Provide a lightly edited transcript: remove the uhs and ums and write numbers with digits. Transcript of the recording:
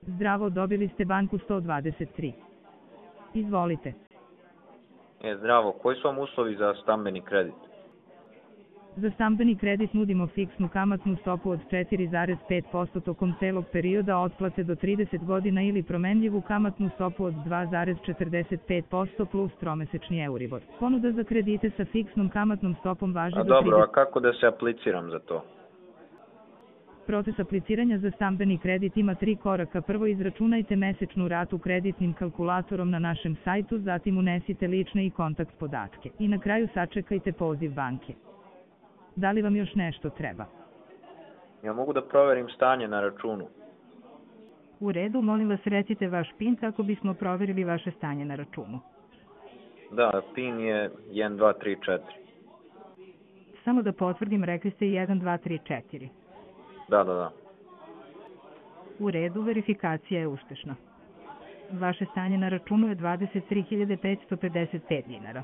Zdravo, dobili ste banku 123. Izvolite. Zdravo, koji su vam uslovi za stambeni kredit? Za stambeni kredit nudimo fiksnu kamatnu stopu od 4,5% tokom celog perioda otplate do 30 godina ili promenljivu kamatnu stopu od 2,45% plus tromesečni Euribor. Ponuda za kredite sa fiksnom kamatnom stopom važi do 30... Dobro, a kako da se apliciram za to? Proces apliciranja za stambeni kredit ima 3 koraka. Prvo, izračunajte mesečnu ratu kreditnim kalkulatorom na našem sajtu, zatim unesite lične i kontakt podatke i na kraju sačekajte poziv banke. Da li vam još nešto treba? Ja mogu da proverim stanje na računu. U redu, molim vas recite vaš PIN kako bismo proverili vaše stanje na računu. Da, PIN je 1234. Samo da potvrdim, rekli ste 1234. Da. U redu, verifikacija je uspešna. Vaše stanje na računu je 23.555 dinara.